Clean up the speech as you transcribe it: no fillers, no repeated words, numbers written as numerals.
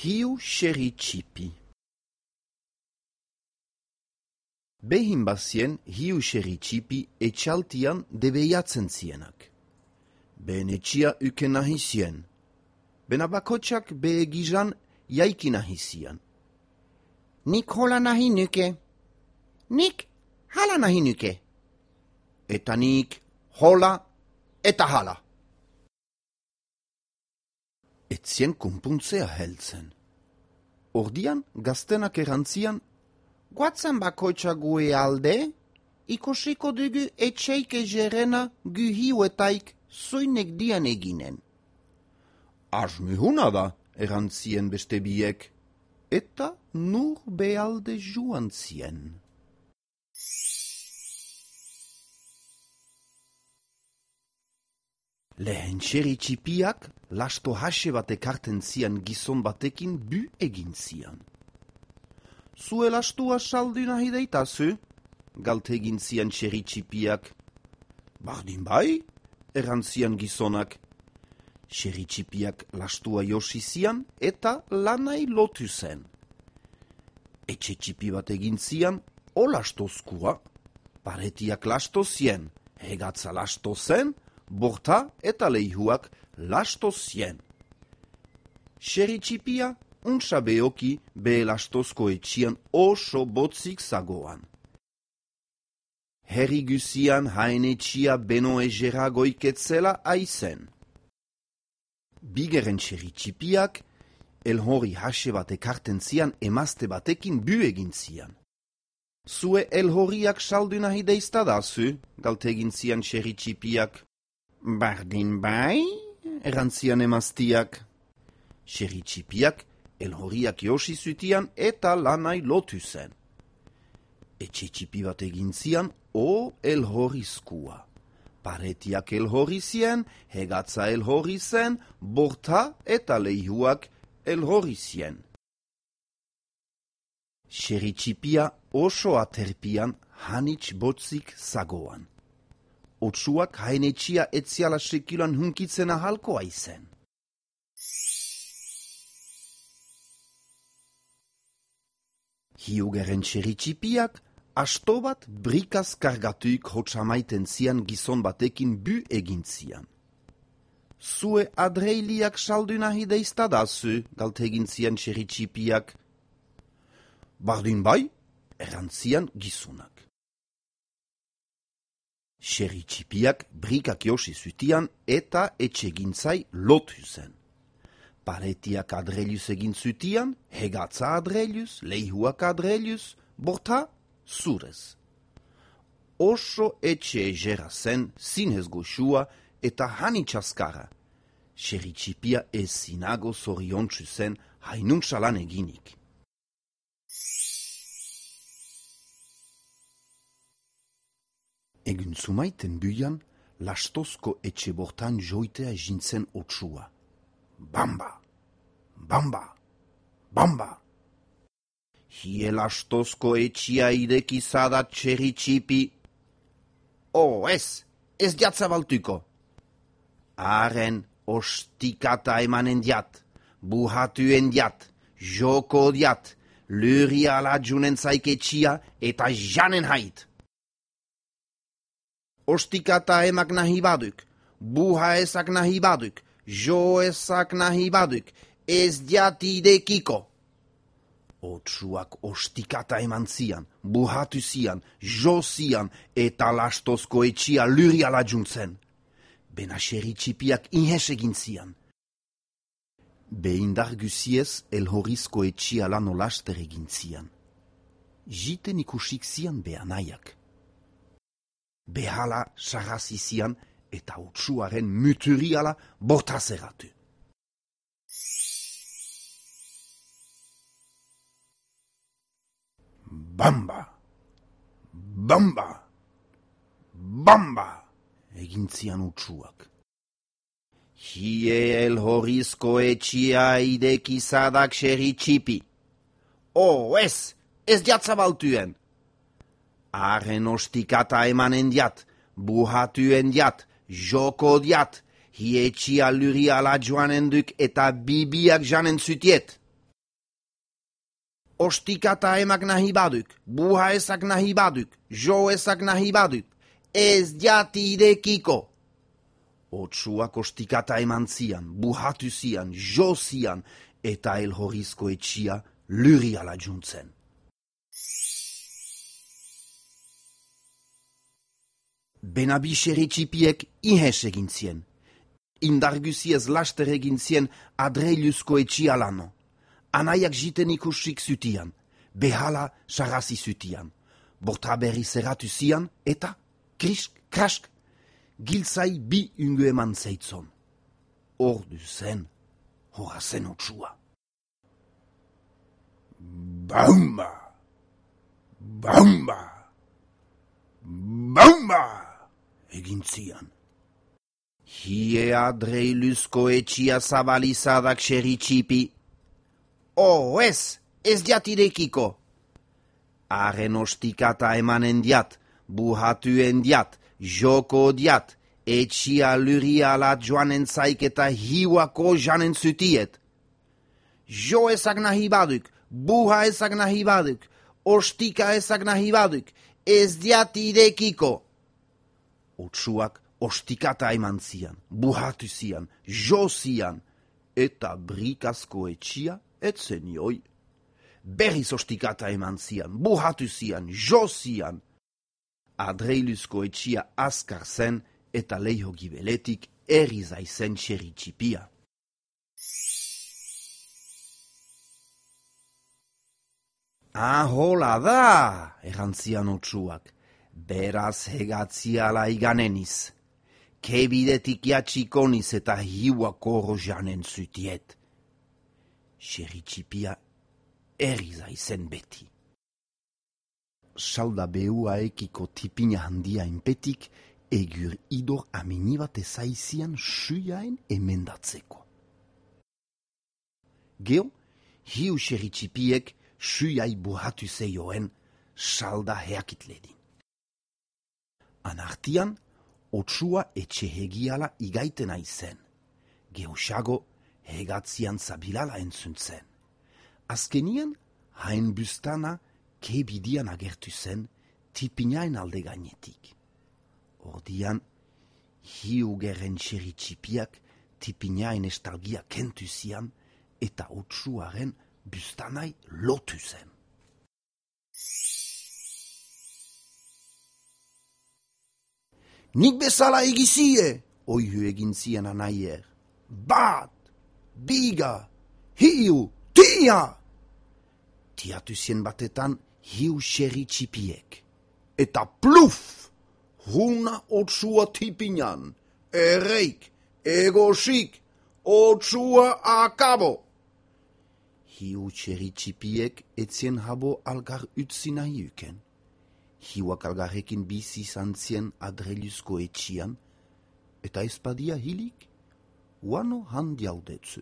Hiu xerri txipi. Behin bazien hiu xerri txipi etxaltian debeiatzen zienak. Behen etxia uken nahi zien. Bena bakotxak behe gizan jaiki nahi zian. Nik hola nahi nuke. Nik hala nahi nuke. Eta nik hola eta hala. Etzien kunpuntzea heltzen. Ordian gaztenak erantzian, Guatzen bakotxa gue alde, ikusiko dugu etxeik egerena gu hiuetaik zuinek dian eginen. asmihuna da, erantzien beste biek, eta nur bealde joan zien. Lehen xerri txipiak lasto hase bat ekarten zian gizon batekin bu egin zian. Zue lastua saldu nahi deitazu, galtegin zian xerri txipiak. Bardin bai, erantzian gizonak. Xerri txipiak lastua josi zian eta lanai lotu zen. Etxe txipi bat egin zian, o lastozkua, paretiak lasto zien, hegatza lasto zen, borta eta leihuak lasto zien. Xerri txipia untsa beoki behe lastozko etxian oso botzik zagoan. Herri guzian haen etxia beno egera goiketzela aizen. Bigeren xerri txipiak elhori hase bat ekarten zian emazte batekin bu egin zian. Zue elhoriak saldu nahi deiztadazu, galtegin zian xerri txipiak. Bardin bai, Erantzian emaztiak. Xerri txipiak elhoriak josi zutian eta lanai lotu zen. Etxe txipi bat egin zian o elhorizkua. Paretiak elhori zien, hegatza elhori zen, borta eta leihuak elhori zien. Xerri txipia oso aterpian hanitz botzik zagoan. Otsuak hainetxia etziala sekilan hunkitzen ahalko aizen. Hiugeren xerri txipiak asto bat brikaz kargatuik hotsamaiten zian gizon batekin bu egin zian. Zue adreiliak saldu nahi deiztadazu, galtegin zian xerri txipiak. Bardin bai, erantzian gizonak. Xerri txipiak brikak josi zutian eta etxegintzai lotu zen. Paretiak adrelius egin zutian, hegatza adrelius, leihuak adrelius, borta zurez. Oso etxe egera zen, zinez goxua eta hanitxaskara. Xerri txipia ezinago zoriontsu zen hainuntzalan eginik. Egun zumaiten buian, lastozko etxe bortan joitea jintzen otsua. Bamba, bamba, bamba. Hie lastozko etxia idekizadat xerri txipi. Ez jatzabaltuko. Haren ostikata emanen diat, buhatuen diat, joko diat, luria alajunen zaik etxia eta janen hait. Ostikata emak nahi baduk, buha ezak nahi baduk, jo ezak nahi baduk, ez diati idekiko. Otsuak ostikata eman zian, buhatu zian, jo zian, eta lastozko etxia luri alajuntzen. Bena xerri txipiak inhes egin zian. Behindar guziez elhorizko etxia lano laster egin zian. Jiten ikusik zian behanaiak. Behala sarrazi zian eta otsuaren muturiala bortazeratu. Bamba, bamba, bamba, egin zian otsuak. Hie elhorizko etxia idekizadak xerri txipi. Ez jatzabaltuen. Haren ostikata emanen diat, buhatuen diat, joko diat, hietxia luri ala joanen duk eta bibiak janen zutiet. Ostikata emak nahi baduk, buha ezak nahi baduk, jo ezak nahi baduk, ez jati irekiko. Otsuak ostikata eman zian, buhatu zian, jo zian, eta elhorizko etxia luriala juntzen. Benabixeri txipiek ihes egin zien. Indarguziez laster egin zien adreiluzko etxia lano. Anaiak jiten ikusik zutian, behala sarrazi zutian. Borta berri zerratu zian, eta, krisk, krask, giltzai bi ungu eman zeitzon. Ordu zen, hora zen otsua. Baumba! Baumba! Baumba! Egin zian. Hie adreiluzko etxia zabalizadak xeri txipi. Ez jatirekiko. Haren ostikata emanen diat, buhatuen diat, joko diat, etxia luriala joanen zaik eta hiuako janen zutiet. Jo ezak nahi baduk, buha ezak nahi baduk, ostika ezak nahi baduk, ez jatirekiko. Otsuak ostikata eman zian, buhatu zian, jo zian, eta brikazko etxia etzen joi. Berriz ostikata eman zian, buhatu zian, jo zian. Adreiluzko etxia azkar zen eta leiho gibeletik erizaizen xeri txipia. Hola da, errantzian otsuak, beraz hegatziala iganeniz. Kebidetik jatxikoniz eta hiuako rojanen zutiet. Xeri txipia erizaizen beti. Salda behua ekiko tipina handia inpetik, egur idor aminibat ezaizian suiaen emendatzeko. Geo, hiu xeri txipiek suiai buhatu zeioen salda heakitledin. Anartian, otsua etxe hegiala igaiten aizen. Geosago hegatzian zabilala entzuntzen. Azkenian, hain bustana kebidian agertu zen tipinaen alde gainetik. Ordian, hiu gerren xeri txipiak tipinaen estalgia kentu zian eta otsuaren bustanai lotu zen. Nik bezala egizie, oihu egin zien anaier. Bat, biga, hiu, tia! Tiatu zien batetan hiu xeri txipiek. Eta pluf! Huna otsua tipinan, ereik, egosik, otsua akabo! Hiu xeri txipiek etzien habo algar utzi nahi uken. Hiuak algarrekin bizi izan zien adreiluzko etxian, eta ezpadia hilik, uano handiaudetzu.